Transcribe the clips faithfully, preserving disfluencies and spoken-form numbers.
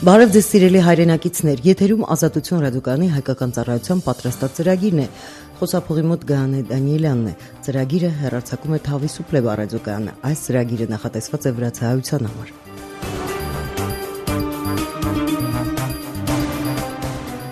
Բարև ձեզ սիրելի հայրենակիցներ, եթերում Ազատություն ռադիոկայանի հայկական ծառայության պատրաստած ծրագիրն է։ Խոսափողի մոտ Գայանե Դանիելյանն է։ Ծրագիրը հեռարձակում է Թավիսուպլեբա ռադիոկայանը։ Այս ծրագիրը նախատեսված է վրացահայության համար։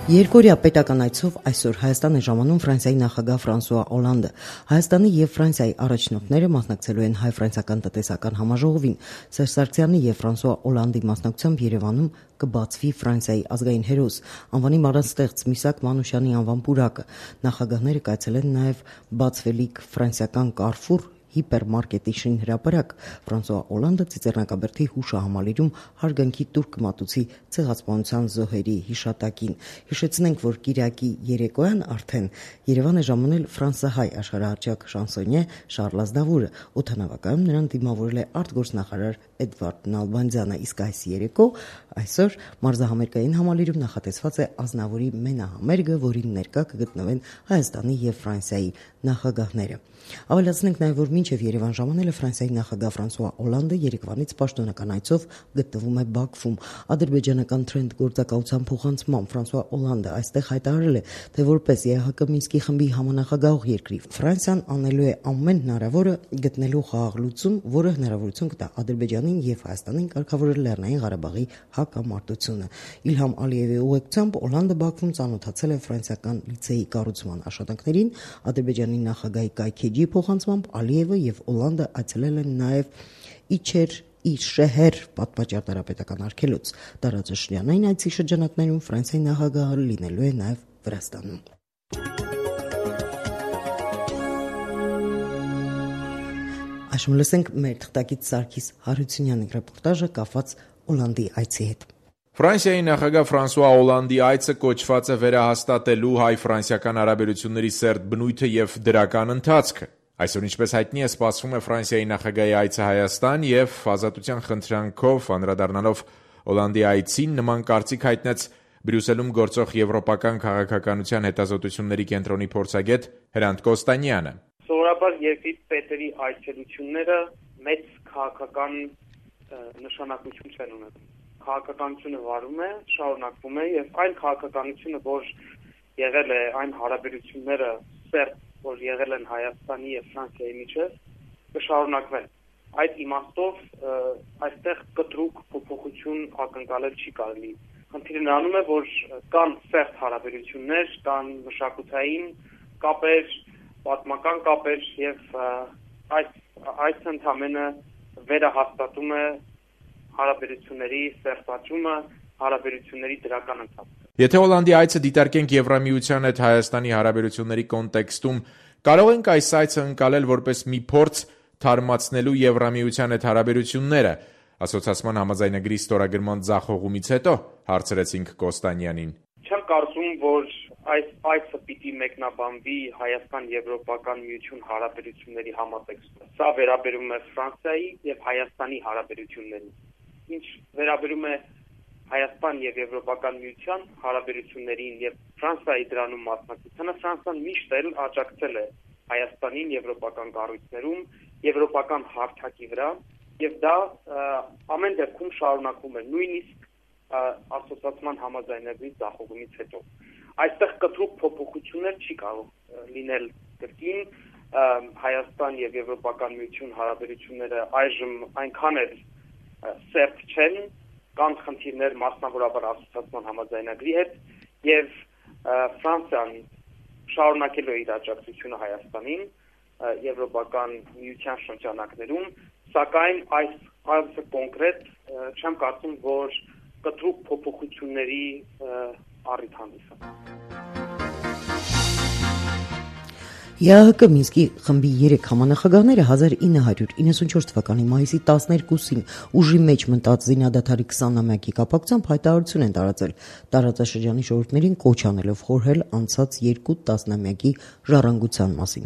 Երկօրյա պետական այցով այսօր Հայաստան է ժամանում Ֆրանսիայի նախագահ Ֆրանսուଆ Օլանդը։ Հայաստանի եւ Ֆրանսիայի առաջնորդները մասնակցելու են հայ-ֆրանսիական տնտեսական համաժողովին։ Սերժ Սարգսյանի եւ Ֆրանսուଆ Օլանդի մասնակցությամբ Երևանում կբացվի Ֆրանսիայի ազգային հերոս անվանի մարզաստեղծ Միսակ Մանուշյանի անվան պուրակը։ Նախագահները կայցելեն նաեւ բացվելիք ֆրանսիական Կարֆուր հիպերմարկետի շինհրապարակ։ Ֆրանսուଆ Օլանդը Ծիծեռնակաբերդի հուշահամալիրում հարգանքի տուրք մատուցի ցեղասպանության զոհերի հիշատակին։ Հիշեցնենք, որ Կիրակի երեկոյան արդեն Երևան է ժամանել ֆրանսահայ աշխարհահռչակ շանսոնյե Շարլ Ազնավուրը։ Օդանավակայանում նրան դիմավորել է արտգործնախարար Էդվարդ Նալբանդյանը, իսկ այս երեկո այսօր մարզահամերգային համալիրում նախատեսված է Ազնավուրի մենահամերգը, որին ներկա կգտնվեն Հայաստանի եւ Ֆրանսիայի նախագահները։ Ավելացնենք նաև, որ մինչև Երևան ժամանելը Ֆրանսիայի նախագահ Ֆրանսուଆ Օլանդը երեկվանից պաշտոնական այցով գտնվում է Բաքվում։ Ադրբեջանական Թրենդ գործակալության փոխանցմամբ Ֆրանսուଆ Օլանդը այստեղ հայտարարել է, թե որպես ԵԱՀԿ Մինսկի խմբի համանախագահող երկրի Ֆրանսիան անելու է ամեն հնարավորը գտնելու խաղաղ լուծում, որը հնարավորություն կտա Ադրբեջանին եւ Հայաստանին կարգավորել Լեռնային Ղարաբաղի հակամարտությունը։ Իլհամ Ալիևի ուղեկցությամբ Օլանդը Բաքվում ծանոթացել է ֆրանսիական լիցեի կառուցման աշխատանքներին։ Ադրբեջանի նախագահի կայքեջի փոխանցմամբ Ալիևը եւ Օլանդը այցելել են նաեւ Իչեր Իշեհեր պատմաճարտարապետական արգելոց։ Տարածաշրջանային այցի շրջանակներում Ֆրանսիայի նախագահը լինելու է նաեւ Վրաստանում։ Այժմ լսենք մեր թղթակից Սարգիս Հարությունյանի ռեպորտաժը կապված Օլանդի այցի հետ։ Ֆրանսիայի նախագահ Ֆրանսուଆ Օլանդի այցը կոչված է վերահաստատելու հայ-ֆրանսիական հարաբերությունների սերտ բնույթը եւ դրական ընթացքը։ Այսօր, ինչպես հայտնի է, սպասվում է Ֆրանսիայի նախագահի այցը Հայաստան եւ ազատության խնդրանքով անդրադառնալով Օլանդի այցին նման կարծիք հայտնեց Բրյուսելում գործող եվրոպական քաղաքականության հետազոտությունների կենտրոնի փորձագետ Հրանտ Կոստանյանը։ Սովորաբար երկրի պետերի այցելությունները մեծ քաղաքական նշանակություն չեն ունենում։ Քաղաքականությունը վարում է, շարունակվում է եւ այն քաղաքականությունը, որ եղել է այն հարաբերությունները սերտ, որ եղել են Հայաստանի եւ Ֆրանսիայի միջեւ, կշարունակվեն։ Այդ իմաստով այստեղ կտրուկ փոփոխություն ակնկալել չի կարելի։ Խնդիրը նրանում է, որ կան սերտ հարաբերություններ, կան մշակութային կապեր, պատմական կապեր եւ այս այս ընդհանրապես վերահաստատում է հարաբերությունների սերտացումը, հարաբերությունների դրական ընթացքը։ Եթե Օլանդի այցը դիտարկենք Եվրամիության հետ Հայաստանի հարաբերությունների կոնտեքստում, կարող ենք այս այցը ընկալել որպես մի փորձ թարմացնելու Եվրամիության հետ հարաբերությունները, ասոցիացիան համաձայնագրի ստորագրման ձախողումից հետո, հարցրեցինք Կոստանյանին։ Չեմ կարծում, որ այս այցը պիտի մեկնաբանվի Հայաստան-Եվրոպական միություն հարաբերությունների համատեքստում։ Սա վերաբերում է Ֆրանսիայի եւ Հայաստանի հարաբերություններին։ Ինչ վերաբերում է Հայաստան եւ Եվրոպական միության հարաբերություններին եւ Ֆրանսիայի դրանում մասնակցությանը, Ֆրանսիան միշտ էլ աջակցել է Հայաստանին եվրոպական կառույցներում, եվրոպական հարթակի վրա եւ դա ամեն դեպքում շարունակվում է, նույնիսկ ասոցիացիան համաձայնագրի ձախողումից հետո։ Այստեղ կտրուկ փոփոխություններ չի կարող լինել կրկին Հայաստան եւ Եվրոպական միություն հարաբերությունները այժմ այնքան էլ սերտ չեն, կան խնդիրներ մասնավորաբար ասոցիացիան համաձայնագրի հետ եւ Ֆրանսիան շարունակել է իր աջակցությունը Հայաստանին Եվրոպական միության շրջանակներում, սակայն այս այցը կոնկրետ չեմ կարծում, որ կտրուկ փոփոխությունների առիթ հանդիսանա։ ԵԱՀԿ Մինսկի խմբի երեք համանախագահները հազար ինը հարյուր իննսունչորս թվականի մայիսի տասներկուսին ուժի մեջ մտած զինադադարի քսանամյակի կապակցությամբ հայտարարություն են տարածել, տարածաշրջանի ժողովուրդներին կոչ անելով խորհել անցած երկու տասնամյակի ժառանգության մասին։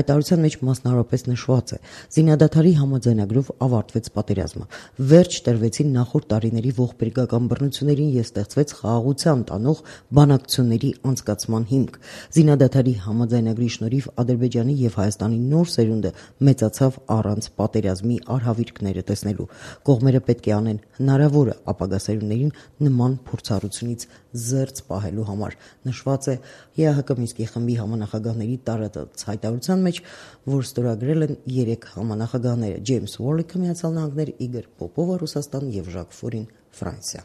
Հայտարարության մեջ մասնավորապես նշված է. զինադադարի համաձայնագրով ավարտվեց պատերազմը, վերջ տրվեցին նախորդ տարիների ողբերգական բռնություններին եւ ստեղծվեց խաղաղության տանող բանակցությունների անցկացման հիմք։ Զինադադարի համաձայնագրի շնորհիվ Ադրբեջանի եւ Հայաստանի նոր սերունդը մեծացավ առանց պատերազմի արհավիրքները տեսնելու։ Կողմերը պետք է անեն հնարավորը ապագա սերունդներին նման փորձառությունից զերծ պահելու համար, նշված է ԵԱՀԿ Մինսկի խմբի համանախագահների տարածած հայտարարության մեջ, որ ստորագրել են երեք համանախագահները՝ Ջեյմս Ուորլիքը Միացյալ Նահանգներ, Իգոր Պոպովը Ռուսաստան եւ Ժակ Ֆորին Ֆրանսիա։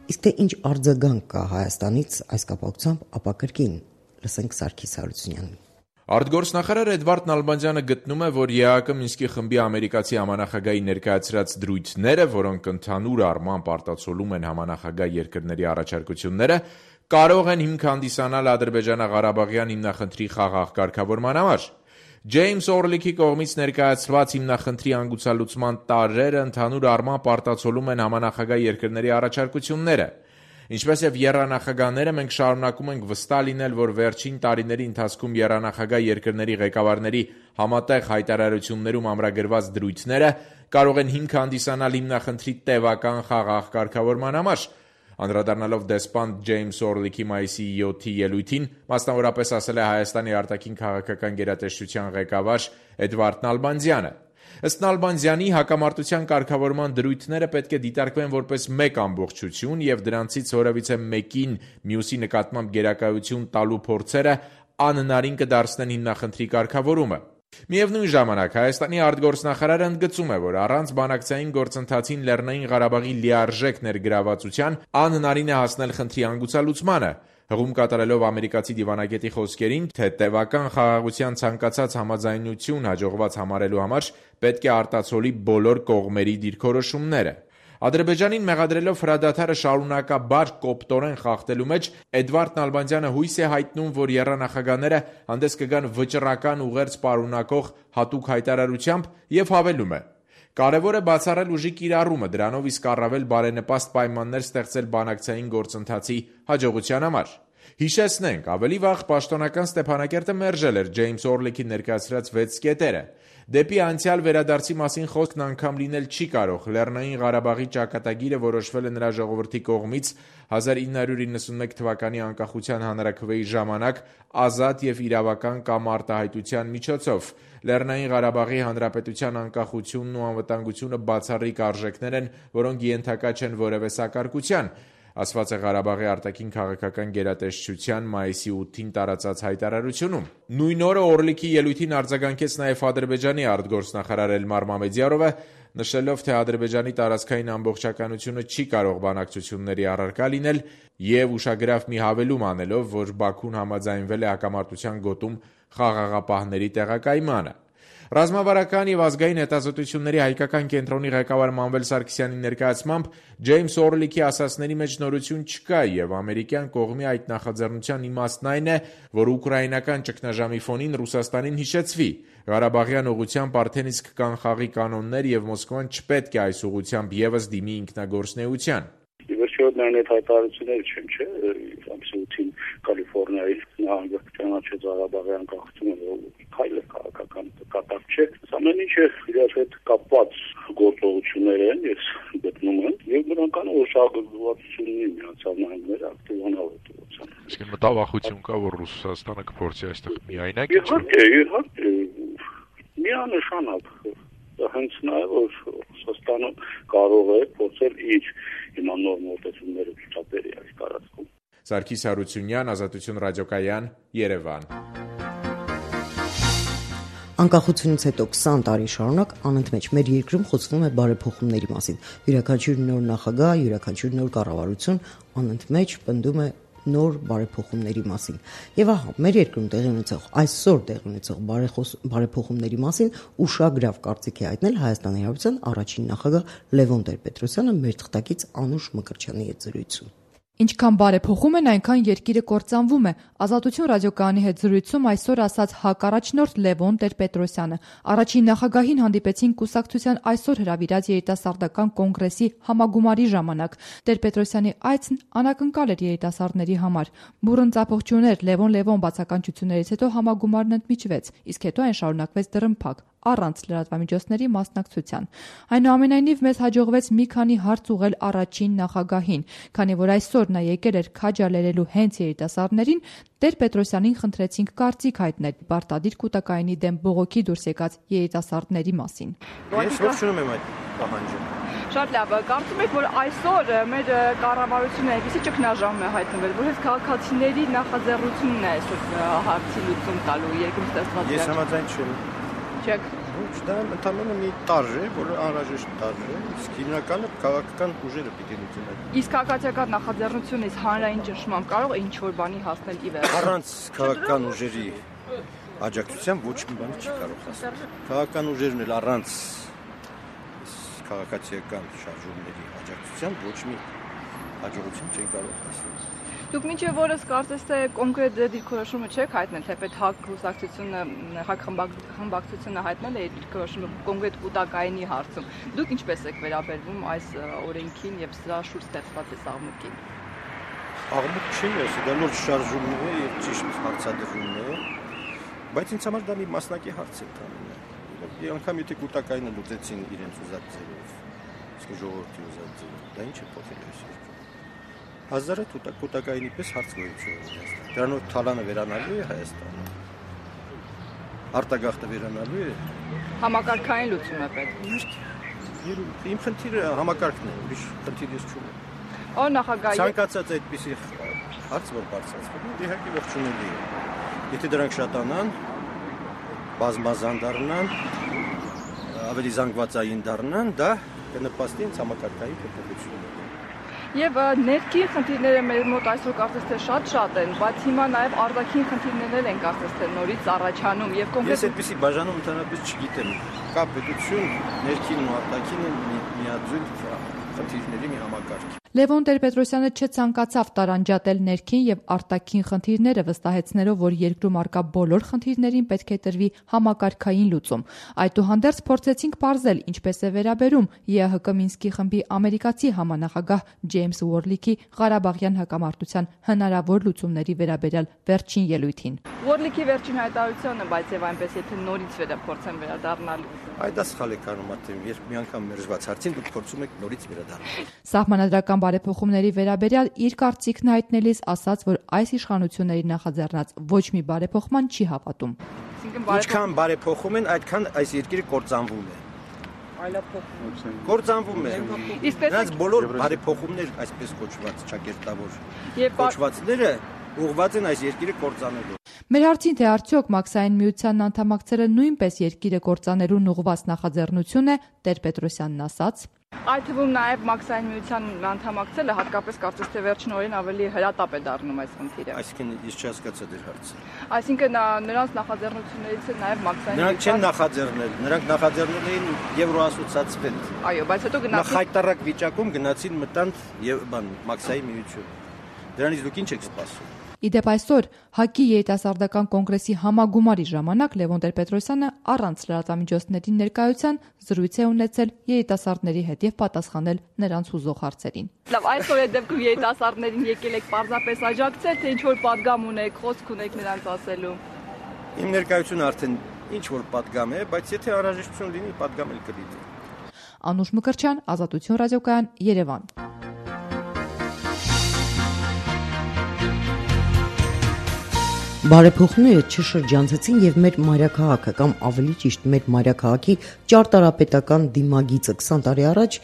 Իսկ թե ինչ արձագանք կա Հայաստանից այս կապակցությամբ, ապա կրկին լսենք Սարգիս Հարությունյանին։ Արտգործնախարար Էդվարդ Նալբանդյանը գտնում է, որ ԵԱՀԿ Մինսկի խմբի ամերիկացի համանախագահի ներկայացրած դրույթները, որոնք ընդհանուր առմամբ արտացոլում են համանախագահ երկրների առաջարկությունները, կարող են հիմք հանդիսանալ Ադրբեջանա-Ղարաբաղյան հիմնախնդրի խաղաղ կարգավորման համար։ Ջեյմս Օրլիքի կողմից ներկայացված հիմնախնդրի հանգուցալուծման տարրերը ընդհանուր առմամբ արտացոլում են համանախագահ երկրների առաջարկությունները։ Ինչպես եւ եռանախագահները, մենք շարունակում ենք վստահ լինել, որ վերջին տարիների ընթացքում եռանախագահ երկրների ղեկավարների համատեղ հայտարարություններում ամրագրված դրույթները կարող են հիմք հանդիսանալ հիմնախնդրի տևական խաղաղ կարգավորման համար։ Անդրադառնալով դեսպան Ջեյմս Օրլիքի մայիսի յոթի ելույթին, մասնավորապես ասել է Հայաստանի արտաքին քաղաքական գերատեսչության ղեկավար Էդվարդ Նալբանդյանը։ Ըստ Նալբանդյանի, հակամարտության կարգավորման դրույթները պետք է դիտարկվեն որպես մեկ ամբողջություն եւ դրանցից որևիցե մեկին մյուսի նկատմամբ գերակայություն տալու փորձերը անհնարին կդարձնեն հիմնախնդրի կարգավորումը։ Միևնույն ժամանակ Հայաստանի արտգործնախարարը ընդգծում է, որ առանց բանակցային գործընթացին Լեռնային Ղարաբաղի լիարժեք ներգրավվածության անհնարին է հասնել խնդրի հանգուցալուծմանը, հղում կատարելով ամերիկացի դիվանագետի խոսքերին, թե տևական խաղաղության ցանկացած համաձայնություն հաջողված համարելու համար պետք է արտացոլի բոլոր կողմերի դիրքորոշումները։ Ադրբեջանին մեղադրելով հրադադարը շարունակաբար կոպտորեն խախտելու մեջ, Էդվարդ Նալբանդյանը հույս է հայտնում, որ եռանախագահները հանդես կգան վճռական ուղերձ պարունակող հատուկ հայտարարությամբ եւ հավելում է. «Կարևոր է բացառել ուժի կիրառումը, դրանով իսկ առավել բարենպաստ պայմաններ ստեղծել բանակցային գործընթացի հաջողության համար»։ Հիշեցնենք, ավելի վաղ պաշտոնական Ստեփանակերտը մերժել էր Ջեյմս Օրլիքի ներկայացրած վեց կետերը։ Դեպի անցյալ վերադարձի մասին խոսքն անգամ լինել չի կարող։ Լեռնային Ղարաբաղի ճակատագիրը որոշվել է նրա ժողովրդի կողմից հազար ինը հարյուր իննսունմեկ թվականի անկախության հանրաքվեի ժամանակ ազատ եւ իրավական կամ արտահայտության միջոցով։ Լեռնային Ղարաբաղի հանրապետության անկախությունն ու անվտանգությունը բացառիկ արժեքներ են, որոնք ենթակա չեն որևէ սակարկության, ասված է Ղարաբաղի արտաքին քաղաքական գերատեսչության մայիսի ութին տարածած հայտարարությունում։ Նույն օրը Օրլիքի ելույթին արձագանքեց նաև Ադրբեջանի արտգործնախարար Էլմար Մամեդյարովը, նշելով, թե Ադրբեջանի տարածքային ամբողջականությունը չի կարող բանակցությունների առարկա լինել եւ ուշագրավ մի հավելում անելով, որ Բաքուն համաձայնվել է հակամարտության գոտում խաղաղապահների տեղակայմանը։ Ռազմավարական եւ ազգային հետազոտությունների հայկական կենտրոնի ղեկավար Մանվել Սարգսյանի ներկայացմամբ Ջեյմս Օրլիքի ասացների մեջ նորություն չկա եւ ամերիկյան կողմի այդ նախաձեռնության իմաստն այն է, որ ուկրաինական ճգնաժամի ֆոնին Ռուսաստանին հիշեցվի։ Ղարաբաղյան ուղղությամբ արդեն իսկ կան խաղի կանոններ եւ Մոսկվան չպետք է այս ուղղությամբ եւս դիմի ինքնագործնեության։ Իվերշիոդն այդ հայտարարությունները չեն, չէ, ամսուտին Կալիֆոռնիայի նահանգը ճանաչեց Ղարաբաղի անկախությունը, քայլը քաղաքական կատակ չէ։ Ամեն ինչը իրար հետ կապված գործողություններ են, ես գտնում եմ, եւ նրանքան ուշադրություն ունի Միացյալ Նահանգները ակտիվանալ դրության։ Իսկ մտավախություն կա, որ Ռուսաստանը կփորձի այստեղ միայնակ իհարկե, իհարկե, միանշանակ հենց նա է, որ Ռուսաստանը կարող է փորձել իր հիմա նոր մոտեցումները ցուցաբերի այս տարածքում։ Սարգիս Հարությունյան, Ազատություն ռադիոկայան, Երևան։ Անկախությունից հետո քսան տարի շարունակ անընդմեջ մեր երկրում խոսվում է բարեփոխումների մասին։ Յուրաքանչյուր նոր նախագահ, յուրաքանչյուր նոր կառավարություն անընդմեջ պնդում է նոր բարեփոխումների մասին։ Եվ ահա մեր երկրում տեղի ունեցող այսօր տեղի ունեցող բարեփոխումների մասին ուշագրավ կարծիք է հայտնել Հայաստանի Հանրապետության առաջին նախագահ Լևոն Տեր-Պետրոսյանը մեր թղթակից Անուշ Մկրտչյանի հետ զրույցում։ Ինչքան բարեփոխում են, այնքան երկիրը կործանվում է։ Ազատություն ռադիոկայանի հետ զրույցում այսօր ասաց հակառաջնորդ Լևոն Տեր-Պետրոսյանը։ Առաջին նախագահին հանդիպեցին կուսակցության այսօր հրավիրած երիտասարդական կոնգրեսի համագումարի ժամանակ։ Տեր-Պետրոսյանի այցն անակնկալ էր երիտասարդների համար։ Բուռն ծափող չուներ Լևոն Լևոն բացականչություններից հետո համագումարն ընդմիջվեց, իսկ հետո այն շարունակվեց դռնփակ։ առանց լրատվամիջոցների մասնակցության։ Այնուամենայնիվ մեզ հաջողվեց մի քանի հարց ուղղել առաջին նախագահին, քանի որ այսօր նա եկել էր քաջալերելու հենց երիտասարդներին, Տեր-Պետրոսյանին խնդրեցինք կարծիք հայտնել պարտադիր կուտակայինի դեմ բողոքի դուրս եկած երիտասարդների մասին։ Ես ողջունում եմ այդ պահանջը։ Շատ լավ, կարծում եք, որ այսօր մեր կառավարությունը այնպեսի ճգնաժամ է հայտնվել, որ հենց քաղաքացիների նախաձեռնությունն է այսօր հարցի լուծում տալու երկրում ստեղծված։ Ես համաձայն չեմ։ Չեք։ Ոչ, դա ընդհանրապես մի տարր է, որը անհրաժեշտ տարր է, իսկ հիմնականը քաղաքական ուժերը պիտի լուծեն։ Իսկ քաղաքացիական նախաձեռնությունից հանրային ճնշմամբ կարող է ինչ-որ բանի հասնել ի վերջ։ Առանց քաղաքական ուժերի աջակցության ոչ մի բան չի կարող հասնել։ Քաղաքական ուժերն էլ առանց քաղաքացիական շարժումների աջակցության ոչ մի հաջողություն չեն կարող հասնել։ Դուք մինչև օրս կարծես թե կոնկրետ դիրքորոշումը չեք հայտնել, թեպետ ՀԱԿ հուսակցությունը, ՀԱԿ խմբակցությունը հայտնել է դիրքորոշումը կոնկրետ կուտակայինի հարցում։ Դուք ինչպես եք վերաբերվում այս օրենքին եւ սրա շուրջ ստեղծված այս աղմուկին։ Աղմուկ չի, դա նոր շարժումն է եւ ճիշտ հարցադրումն է, բայց ինձ համար դա մի մասնակի հարց է տանում։ Եվ անգամ եթե կուտակայինը լուծեցին իրենց ուզած ձևով, իսկ ժողովրդի ուզած ձևով, դա ինչ է փոխել այսօր։ Հազարը կուտակայինի պես հարց գոյություն ունի։ Դրանով թալանը վերանալու է Հայաստանը։ Արտագաղթը վերանալու է։ Համակարգային լուծում է պետք։ Իմ խնդիրը համակարգն է, ուրիշ խնդիր ես չունեմ։ Օ նախագահ։ Ցանկացած այդպիսի հարց որ բարձրացվում, իհարկե ողջունելի է։ Եթե դրանք շատանան, բազմազան դառնան, ավելի զանգվածային դառնան, դա կնպաստի ինձ համակարգային փոփոխությունների։ Եվ ներքին խնդիրները մեր մոտ այսօր կարծես թե շատ-շատ են, բայց հիմա նաև արտաքին խնդիրներ են կարծես թե նորից առաջանում եւ կոնկրետ Ես այդպիսի բաժանում ընդհանրապես չգիտեմ։ Կա պետություն, ներքինն ու արտաքինը միաձույլ խնդիրների մի համակարգ։ Լևոն Տեր-Պետրոսյանը չցանկացավ տարանջատել ներքին եւ արտաքին խնդիրները, վստահեցնելով, որ երկրում արկա բոլոր խնդիրներին պետք է տրվի համակարգային լուծում։ Այդուհանդերձ փորձեցինք պարզել, ինչպես է վերաբերում ԵԱՀԿ Մինսկի խմբի ամերիկացի համանախագահ Ջեյմս Ուորլիքի Ղարաբաղյան հակամարտության հնարավոր լուծումների վերաբերյալ վերջին ելույթին։ Ուորլիքի վերջին հայտարարությունը, բայց եւ այնպես եթե նորից վերափորձեն վերադառնալ։ Այդ դա սխալ է կանում ատեմ, երբ մի անգամ մերժված հարցին դուք փորձում եք նորից վերադառնալ։ Սահմանադրական բարեփոխումների վերաբերյալ իր կարծիքն հայտնելիս ասաց, որ այս իշխանությունների նախաձեռնած ոչ մի բարեփոխման չի հավատում։ Ինչքան բարեփոխում են, այդքան այս երկիրը կործանվում է։ Այլափոխում։ Կործանվում է։ Իսկ դրանց բոլոր բարեփոխումներ, այսպես կոչված ճակերտավոր եւ կոչվածները ուղղված են այս երկիրը կործանելու։ Մեր հարցին թե արդյոք Մաքսային միությանն անդամակցելը նույնպես երկիրը կործանելուն ուղղված նախաձեռնություն է, Տեր-Պետրոսյանն ասաց. Այդ թվում նաև Մաքսային միությանն անդամակցելը հատկապես կարծես թե վերջին օրերին ավելի հրատապ է դառնում այս խնդիրը։ Այսինքն ես չհասկացա դեր հարցը։ Այսինքն նրանց նախաձեռնություններից է նաև Մաքսային Նրանք չեն նախաձեռնել, նրանք նախաձեռնել էին Եվրոասոցիացվել։ Այո, բայց հետո գնացին նախայտարակ վիճակում գնացին մտան եւ բան Մաքսայի միություն։ Դրանից դուք ինչ եք սպասում։ Իդեպ այսօր ՀԱԿ-ի երիտասարդական կոնգրեսի համագումարի ժամանակ Լևոն Տեր-Պետրոսյանը առանց լրատվամիջոցների ներկայության զրույց է ունեցել երիտասարդների հետ եւ պատասխանել նրանց հուզող հարցերին։ Լավ, այսօր այդ դեպքում երիտասարդներին եկել եք պարզապես աջակցել, թե ինչ որ պատգամ ունեք, խոսք ունեք նրանց ասելու։ Իմ ներկայությունը արդեն ինչ որ պատգամ է, բայց եթե անհրաժեշտություն լինի, պատգամ էլ կլինի։ Անուշ Մկրտչյան, Ազատություն ռադիոկայան, Երևան։ Բարեփոխումները չշրջանցեցին եւ մեր մայրաքաղաքը կամ ավելի ճիշտ մեր մայրաքաղաքի ճարտարապետական դիմագիծը քսան տարի առաջ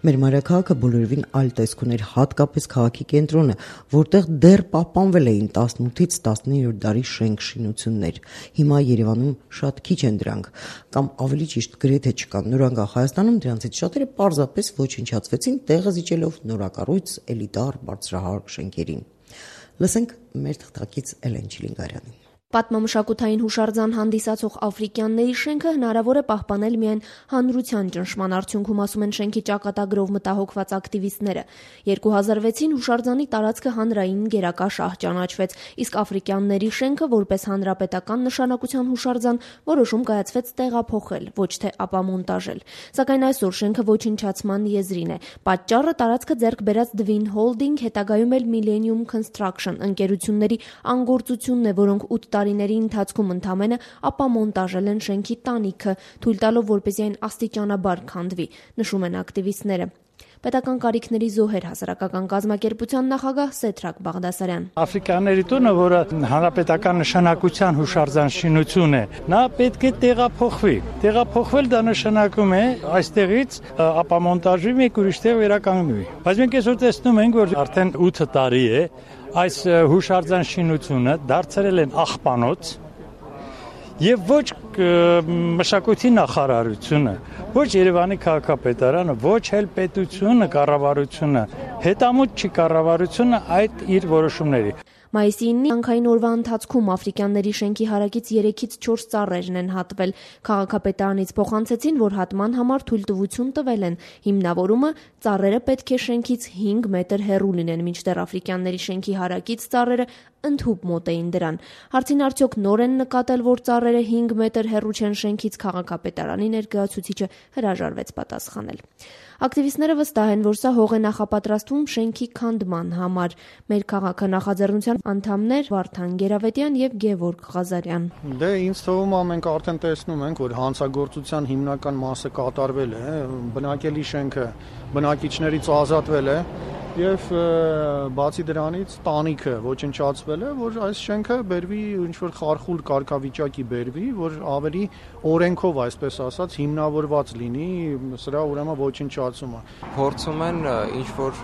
մեր մայրաքաղաքը բոլորովին այլ տեսք ուներ, հատկապես քաղաքի կենտրոնը, որտեղ դեռ պահպանվել էին տասնութից տասնիններորդ դարի շենք-շինություններ։ Հիմա Երևանում շատ քիչ են դրանք, կամ ավելի ճիշտ գրեթե չկան։ Նորանկախ Հայաստանում դրանցից շատերը պարզապես ոչնչացվեցին, տեղը զիջելով նորակառույց էլիտար բարձրահարկ շենքերին։ Լսենք մեր թղթակից Էլեն Չիլինգարյանին։ Պատմամշակութային հուշարձան հանդիսացող Աֆրիկյանների շենքը հնարավոր է պահպանել միայն հանրության ճնշման արդյունքում, ասում են շենքի ճակատագրով մտահոգված ակտիվիստները։ երկու հազար վեցին հուշարձանի տարածքը հանրային գերակա շահ ճանաչվեց, իսկ Աֆրիկյանների շենքը որպես հանրապետական նշանակության հուշարձան որոշում կայացվեց տեղափոխել, ոչ թե ապամոնտաժել։ Սակայն այսօր շենքը ոչնչացման եզրին է։ Պատճառը տարածքը ձեռք բերած Dvin Holding, հետագայում էլ Millennium Construction ընկերությունների անգործությունն է, որոնք ութ տարի տարիների ընթացքում ընդամենը ապամոնտաժել են շենքի տանիքը, թույլ տալով, որպեսզի այն աստիճանաբար քանդվի, նշում են ակտիվիստները։ Պետական կարիքների զոհեր հասարակական կազմակերպության նախագահ Սեդրակ Բաղդասարյան։ Աֆրիկաների տունը, որը հանրապետական նշանակության հուշարձան շինություն է, նա պետք է տեղափոխվի։ Տեղափոխվել դա նշանակում է այստեղից ապամոնտաժի մեկ ուրիշ տեղ վերականգնվի։ Բայց մենք այսօր տեսնում ենք, որ արդեն ութ տարի է այս հուշարձան շինությունը դարձրել են աղբանոց եւ ոչ մշակույթի նախարարությունը, ոչ Երևանի քաղաքապետարանը, ոչ էլ պետությունը, կառավարությունը, հետամուտ չի կառավարությունը այդ իր որոշումների։ Մայիսի ինը հանքային օրվա ընթացքում աֆրիկյանների շենքի հարակից երեքից չորս ծառերն են հատվել։ Քաղաքապետարանից փոխանցեցին, որ հատման համար թույլտվություն տվել են։ Հիմնավորումը ծառերը պետք է շենքից հինգ մետր հեռու լինեն, մինչդեռ աֆրիկյանների շենքի հարակից ծառերը ընդհուպ մոտ էին դրան։ Հարցին արդյոք նոր են նկատել, որ ծառերը հինգ մետր հեռու չեն շենքից, քաղաքապետարանի ներկայացուցիչը հրաժարվեց պատասխանել։ Ակտիվիստները վստահ են, որ սա հող է նախապատրաստվում շենքի քանդման համար։ Մեր քաղաքը նախաձեռնության անդամներ Վարդան Գերավետյան եւ Գևորգ Ղազարյան։ Դե ինձ թվում է մենք արդեն տեսնում ենք, որ հանցագործության հիմնական մասը կատարվել է, բնակելի շենքը բնակիչներից ազատվել է եւ բացի դրանից տանիքը ոչնչացվել է, որ այս շենքը բերվի ինչ որ խարխուլ կարգավիճակի բերվի, որ ավելի օրենքով, այսպես ասած, հիմնավորված լինի սրա ուրեմն ոչնչացումը։ Փորձում են ինչ որ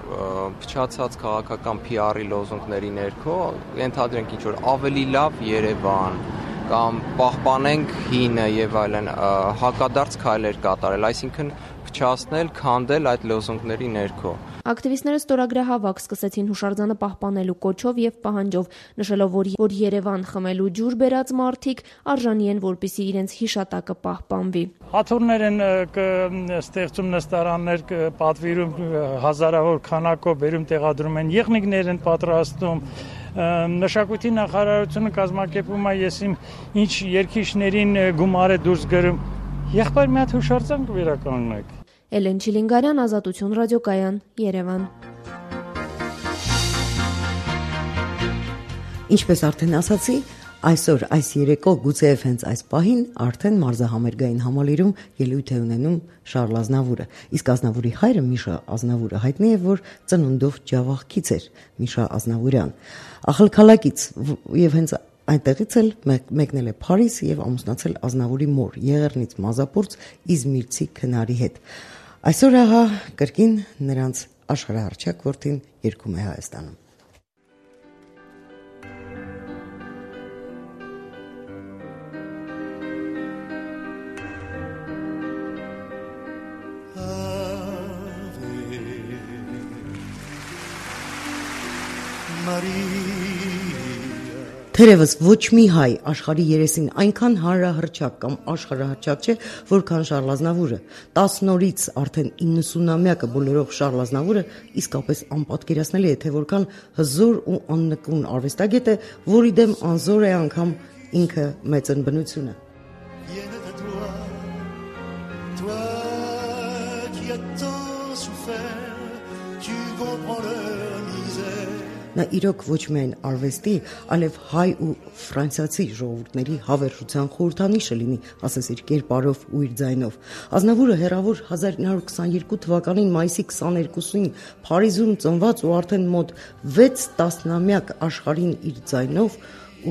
փչացած քաղաքական P R-ի լոզունգների ներքո ենթադրենք ինչ որ ավելի լավ Երևան կամ պահպանենք հինը եւ այլն հակադարձ քայլեր կատարել, այսինքն փչացնել, քանդել այդ լոզունգների ներքո։ Ակտիվիստները ստորագրահավաք սկսեցին հուշարձանը պահպանելու կոչով եւ պահանջով, նշելով, որ, որ Երևան խմելու ջուր բերած մարդիկ արժանի են, որպեսզի իրենց հիշատակը պահպանվի։ Աթոռներ են ստեղծում նստարաններ, պատվիրում հազարավոր քանակով բերում տեղադրում են, եղնիկներ են պատրաստում։ Մշակույթի նախարարությունը կազմակերպում է եսիմ ինչ երկիշներին գումար է դուրս գրում։ Եղբայր մի հատ հուշարձան կվերականգնենք։ Էլեն Չիլինգարյան, Ազատություն ռադիոկայան, Երևան։ Ինչպես արդեն ասացի, այսօր այս երեկո գուցեև հենց այս պահին արդեն մարզահամերգային համալիրում ելույթ է ունենում Շարլ Ազնավուրը։ Իսկ Ազնավուրի հայրը Միշա Ազնավուրը հայտնի է, որ ծնունդով ջավախքից էր, Միշա Ազնավուրյան, ախալքալակից եւ հենց այնտեղից էլ մեկնել է Փարիզ եւ ամուսնացել Ազնավուրի մոր Եղեռնից մազապուրց Իզմիրցի քնարի հետ։ Այսօր ահա կրկին նրանց աշխարհահռչակ որդին երգում է Հայաստանում։ Թերևս ոչ մի հայ աշխարհի երեսին այնքան հանրահռչակ կամ աշխարհահռչակ չէ, որքան Շարլ Ազնավուրը։ տասը օրից արդեն իննսունամյակը բոլորող Շարլ Ազնավուրը իսկապես անպատկերացնելի է, թե որքան հզոր ու աննկուն արվեստագետ է, որի դեմ անզոր է անգամ ինքը մեծն բնությունը։ Նա իրոք ոչ միայն արվեստի, այլև հայ ու ֆրանսիացի ժողովուրդների հավերժության խորհրդանիշը լինի, ասես իր կերպարով ու իր ձայնով։ Ազնավուրը հեռավոր հազար ինը հարյուր քսաներկու թվականին մայիսի քսաներկուսին Փարիզում ծնված ու արդեն մոտ վեց տասնամյակ աշխարհին իր ձայնով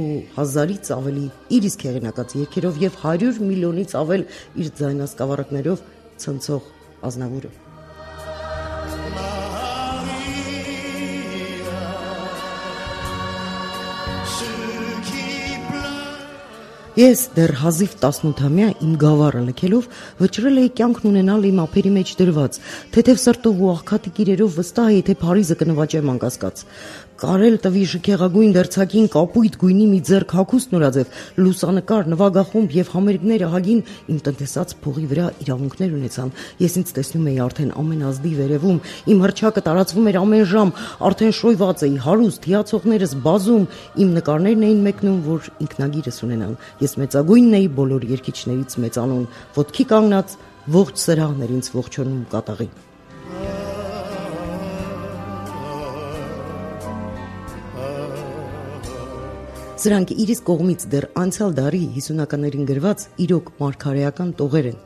ու հազարից ավելի իր իսկ հեղինակած երգերով եւ հարյուր միլիոնից ավել իր ձայնասկավառակներով ցնցող Ազնավուրը։ Ես դեռ հազիվ տասնութամյա իմ գավառը լքելով վճռել էի կյանքն ունենալ իմ ափերի մեջ դրված, թեթև սրտով ու աղքատիկ իրերով վստահ էի, թե Փարիզը կնվաճեմ անկասկած։ Կարել տվի շքեղագույն դերձակին կապույտ գույնի մի ձեռք հագուստ նորաձև, լուսանկար, նվագախումբ եւ համերգներ ահագին իմ տնտեսած փողի վրա իրավունքներ ունեցան։ Ես ինձ տեսնում էի արդեն ամեն ազդի վերևում, իմ հռչակը տարածվում էր ամեն ժամ, արդեն շոյված էի, հարուստ, հիացողներս բազում, իմ նկարներն էին մեկնում, որ ինքնագիրս ունենան։ Ես մեծագույնն էի բոլոր երգիչներից մեծանուն, ոտքի կանգնած ողջ սրահներ ինձ ողջունում կատաղի։ Սրանք իրիս կողմից դեռ անցյալ դարի հիսունականներին գրված իրոք մարգարեական տողեր են։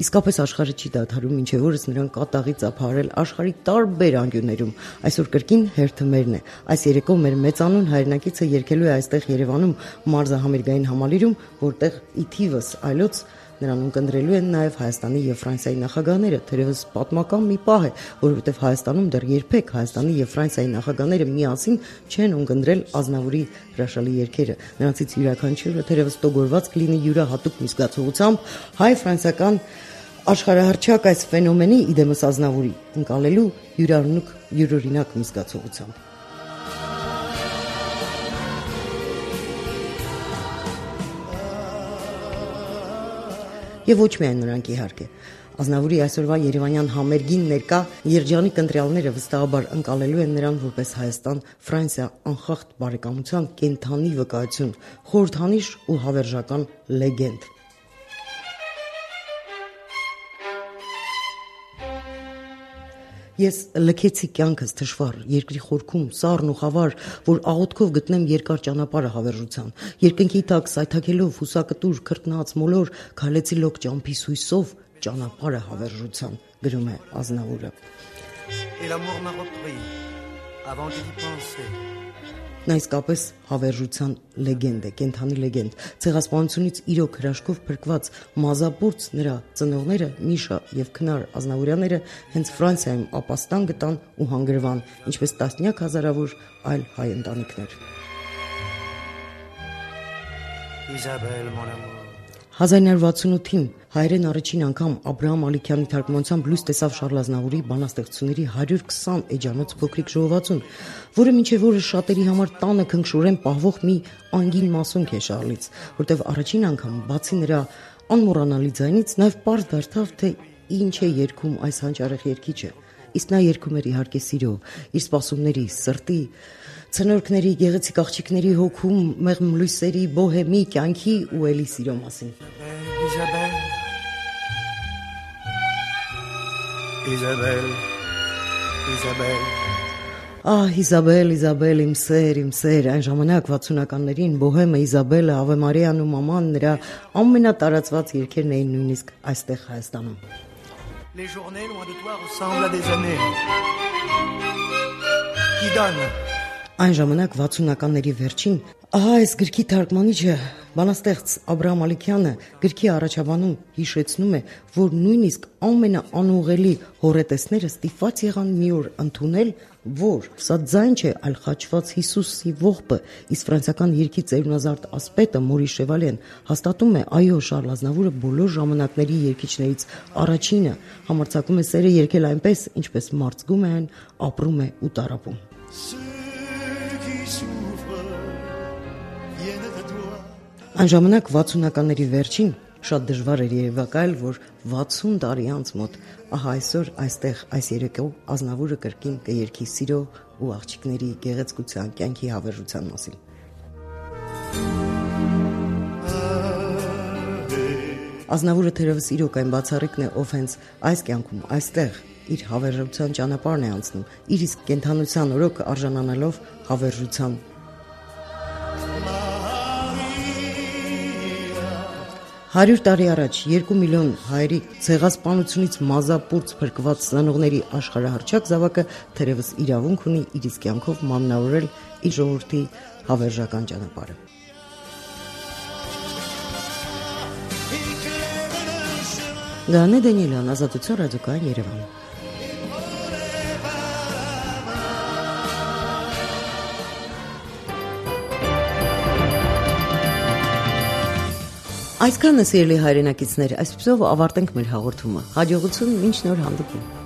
Իսկապես աշխարհը չի դադարում, մինչև օրս նրան կատաղի ծափարել աշխարհի տարբեր անկյուններում։ Այսօր կրկին հերթը մերն է։ Այս երեկո մեր մեծանուն հայրենակիցը երգելու է այստեղ Երևանում մարզահամերգային համալիրում, որտեղ ի թիվս այլոց նրան ունկնդրելու են նաև Հայաստանի եւ Ֆրանսիայի նախագահները, թերևս պատմական մի պահ է, որովհետեւ Հայաստանում դեռ երբեք Հայաստանի եւ Ֆրանսիայի նախագահները միասին չեն ունկնդրել Ազնավուրի հրաշալի երգերը։ Նրանցից յուրաքանչյուրը թերևս տոգորված կլինի յուրահատուկ մի զգացողությամբ հայ-ֆրանսիական աշխարհահռչակ այս ֆենոմենի իդեմս Ազնավուրի ընկալելու յուրօրինակ յուրօրինակ մի զգացողությամբ։ Եվ ոչ միայն նրանք իհարկե։ Ազնավուրի այսօրվա Երևանյան համերգին ներկա երջանիկ ընտրյալները վստահաբար ընկալելու են նրան որպես Հայաստան-Ֆրանսիա անխախտ բարեկամության կենթանի վկայություն, խորհրդանիշ ու հավերժական լեգենդ։ Ես լքեցի կյանքս թշվառ, երկրի խորքում, սառն ու խավար, որ աղոթքով գտնեմ երկար ճանապարհը հավերժության։ Երկնքի տակ սայթաքելով հուսակտուր, քրտնած մոլոր, քայլեցի լոկ ճամփի սույսով ճանապարհը հավերժության, գրում է Ազնավուրը։ Նա իսկապես հավերժության լեգենդ է, կենթանի լեգենդ։ Ցեղասպանությունից իրոք հրաշքով փրկված մազապուրց նրա ծնողները Միշա եւ Քնար Ազնավուրյանները հենց Ֆրանսիայում ապաստան գտան ու հանգրվան, ինչպես տասնյակ հազարավոր այլ հայ ընտանիքներ։ Իզաբել մոնամո հազար նույնսուն վաթսունութին հայերեն առաջին անգամ Աբրահամ Ալիքյանի թարգմանությամբ լույս տեսավ Շարլ Ազնավուրի բանաստեղծությունների հարյուր քսան էջանոց փոքրիկ ժողովածուն, որը մինչև օրս շատերի համար տանը քնքշորեն պահվող մի անգին մասունք է Շարլից, որտեղ առաջին անգամ բացի նրա անմոռանալի ձայնից նաև պարզ դարձավ, թե ինչ է երգում այս հանճարեղ երգիչը։ Իսկ նա երգում էր իհարկե սիրո, իր սպասումների, սրտի, ցնորքների, գեղեցիկ աղջիկների հոգում, մեղմ լույսերի, բոհեմի, կյանքի ու էլի սիրո մասին։ Իզաբել, Իզաբել, Իզաբել Ահ, Իզաբել, Իզաբել, իմ սեր, իմ սեր, այն ժամանակ վաթսունականներին Բոհեմը, Իզաբելը, Ավե Մարիան ու մաման նրա ամենատարածված երգերն էին նույնիսկ այստեղ Հայաստանում։ Les journées loin de toi ressemblent à des années qui donnent. Այն ժամանակ վաթսունականների վերջին, ահա այս գրքի թարգմանիչը, բանաստեղծ Աբրահամ Ալիքյանը գրքի առաջաբանում հիշեցնում է, որ նույնիսկ ամենաանուղելի հոռետեսները ստիպված եղան մի օր ընդունել, որ սա ձայն չէ, այլ խաչված Հիսուսի ողբը, իսկ ֆրանսիական երգի ծերունազարդ ասպետը Մորի Շևալեն հաստատում է, այո, Շարլ Ազնավուրը բոլոր ժամանակների երգիչներից առաջինը, համարձակում է սերը երգել այնպես, ինչպես մարծգում է այն, ապրում է ու տառապում։ Այն ժամանակ վաթսունականների վերջին շատ դժվար էր երևակայել, որ վաթսուն տարի անց մոտ, ահա այսօր այստեղ այս երեկո Ազնավուրը կրկին կերգի սիրո ու աղջիկների գեղեցկության, կյանքի հավերժության մասին։ Ազնավուրը թերևս իրոք այն բացառիկն է, ով հենց այս կյանքում, այստեղ իր հավերժության ճանապարհն է անցնում, իր իսկ կենթանության օրոք արժանանալով հավերժության։ Հարյուր տարի առաջ երկու միլիոն հայերի ցեղասպանությունից մազապուրց փրկված ծնողների աշխարհահռչակ զավակը թերևս իրավունք ունի իր իսկ կյանքով մանրավորել իր ժողովրդի հավերժական ճանապարհը։ Գանե Դանիելյան, Ազատություն, Ռադիոկայան, Երևան։ Այսքանը սիրելի հայրենակիցներ, այսպեսով ավարտենք մեր հաղորդումը։ Հաջողություն, մինչ նոր հանդիպում։